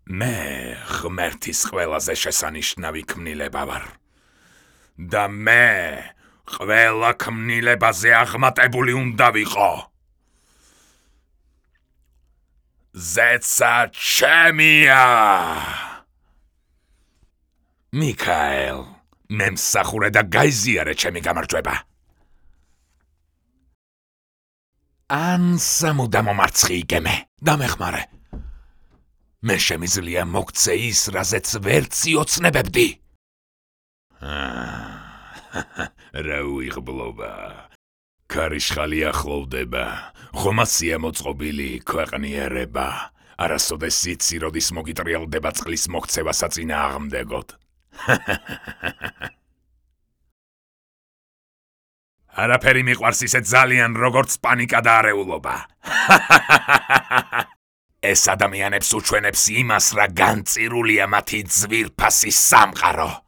მე ღმერთის ყველაზე შესანიშნავი ქმნილება ვარ. და მე ყველა ქმნილებაზე აღმატებული უნდა ვიყო. ზეცა ჩემია. მიქაელ, მემსახურე და გაიზიარე ჩემი გამარჯვება. ან სამუდამო მარცხი იგემე, დამეხმარე. მე შემიძლია მოგცე ის, რაზეც ვერც იოცნებებდი. რა უიღბლობა. ქარიშხალი ახლოვდება, ხომასია მოწყობილი ქვეყნიერება. არასოდეს იცი, როდის მოგიტრიალდება წყლის მოქცევა საწინააღმდეგოდ. არაფერი მიყვარს ისე ძალიან, როგორც პანიკა და არეულობა. ეს ადამიანებს უჩვენებს იმას, რა განწირულია მათი ძვირფასი სამყარო.